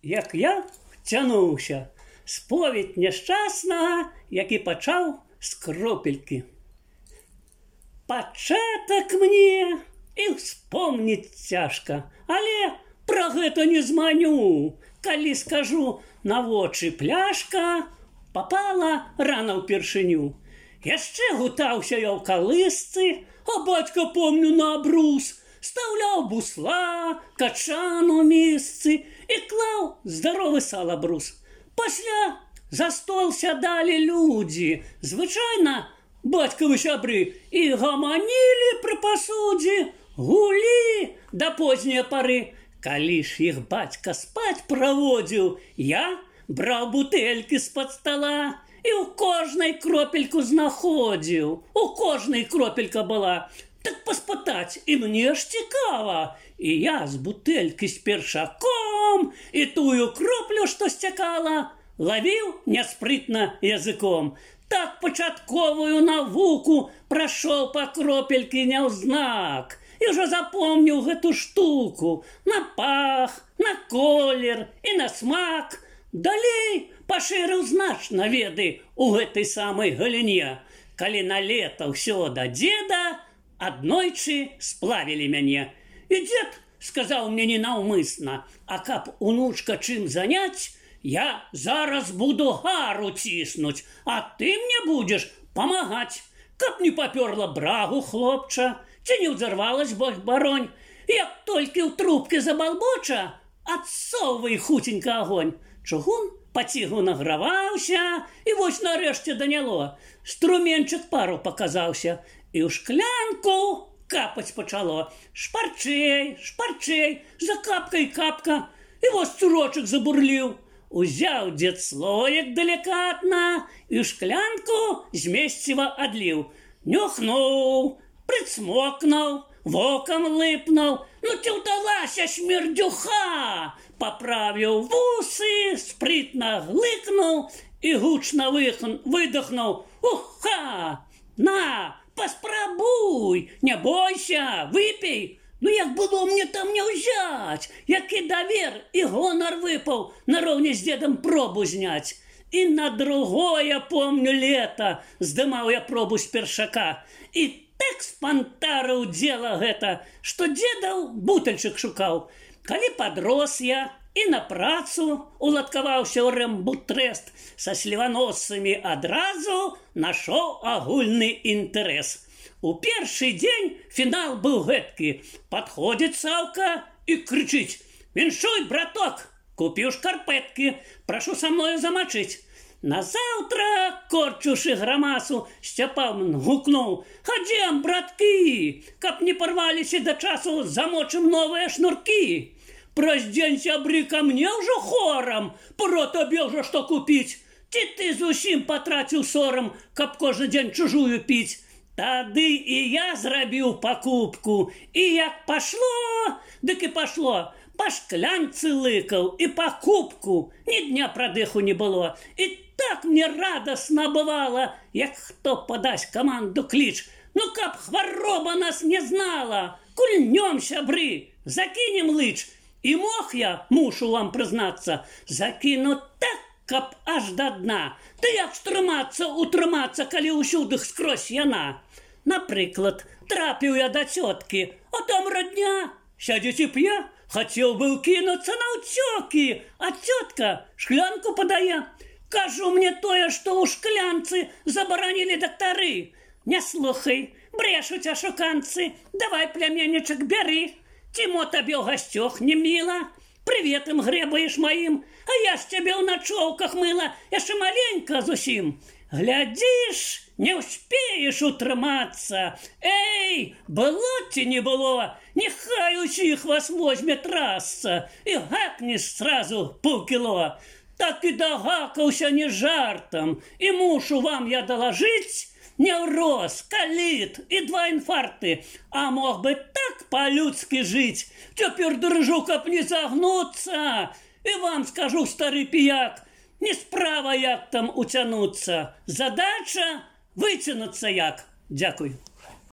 як я втянуўся. Споведь няшчаснага, які пачаў з кропелькі. Пачатак мне і вспомніць цяжка, але пра гэта не зманю. Калі скажу, на вочы пляшка папала рана ўпершыню. Яшчэ гутаўся я ў калысцы, а бацька, помню, на абрус стаўляў бусла, качан у місцы і клаў здаровы салабрус. Пасля за стол сядалі людзі, звычайна бацькавы сябры, і гаманілі пры пасудзе, гулі да позняй пары. Калі ж іх бацька спаць праводзіў, я браў бутэлькі з-пад стала і ў кожнай кропельку знаходзіў. У кожнай кропелька была. Так паспытаць і мне ж цікава. І я з бутэлькі з першаком і тую кроплю, што сцякала, лавіў няспрытна языком. Так пачатковую навуку прайшоў па кропелькі няўзнак. І ўжо запомніў гэту штуку на пах, на колер і на смак. Далей пашырыў значна веды ў гэтай самай галіне. Калі на лета ўсё да дзеда, аднойчы сплавілі мяне. І дзед сказаў мне ненаўмысна, а каб унучка чым заняць, я зараз буду гару ціснуць, а ты мне будзеш памагаць, каб не папёрла брагу хлопча, ці не ўзарвалась бог-баронь. Як толькі ў трубкі забалбоча, адсоўвай хуценька агонь. Чугун пацігу награваўся, і вось нарэшце даняло. Струменчык пару паказаўся, і ў шклянку капаць пачало. Шпарчэй, шпарчэй, за капкай капка, і вось цурочак забурліў. Узяў дзед слоек далікатна і ў шклянку змесціва адліў. Нюхнуў, прыцмокнуў, вокам лыпнуў. Ну ці ўдалася смердюха! Паправіў вусы, спрытна глыкнуў і гучна выдохнуў. Уха! На, паспрабуй, не бойся, выпей. Ну як было мне там не ўзяць, які давер і гонар выпаў нароўні з дзедам пробу зняць. І на другое, помню, лета здымаў я пробу з першака. І так спантарыў дзела гэта, што дзедаў бутальчык шукаў. Калі падрос я і на працу уладкаваўся ў рэмбутрэст, са сліваносцамі адразу нашоў агульны інтарэс. У першы дзень фінал быў гэткі. Падходзіць Саўка і крычыць: «Віншуй, браток, купіў шкарпэткі, прашу са мною замачыць». Назаўтра, корчушы грамасу, Сцяпан гукнуў: «Хадзем, браткі, каб не парваліся да часу, замочым новыя шнуркі. Праз дзень сябры ка мне ўжо хорам, пора табе ўжо што купіць. Ці ты зусім патраціў сорам, каб кожны дзень чужую піць?» Тады і я зрабіў пакупку, і як пашло, дык і пашло. Па шклянцы лыкаў і па кубку, ні дня прадыху не было. І так мне радасна бывала, як хто падасць каманду кліч. Ну каб хвароба нас не знала, кульнём, сябры, закінем лыч. І мог я, мушу вам прызнацца, закіну так, каб аж да дна. Ды як стрымацца, утрымацца, калі ўсюды скрозь яна. Напрыклад, трапіў я да цёткі, а там радня сядзець і п'е. Хацеў быў кінуцца наўцёкі, а цётка шклянку падае. Кажу, мне тое, што ў шклянцы забаранілі дактары. Не слухай, брешуць ашуканцы, давай, плямяннічак, бяры. Ці мо табе ў гасцёх не міла? Прыветам грэбаеш маім, а я ж цябе ў начоўках мыла, яшчэ маленька зусім. Глядзіш, не ўспееш утрымацца. Эй, было ці не было, няхай усіх вас возьме трасца, і гакнеш сразу паўкіло. Так і дагакаўся не жартам, і мушу вам я далажыць: неўроз, каліт і 2 інфаркты, а мог бы так па-людскі жыць. Цяпер дрыжу, каб не загнуцца. І вам скажу, стары піяк, не справа як там уцянуцца, задача выцянуцца як. Дзякуй.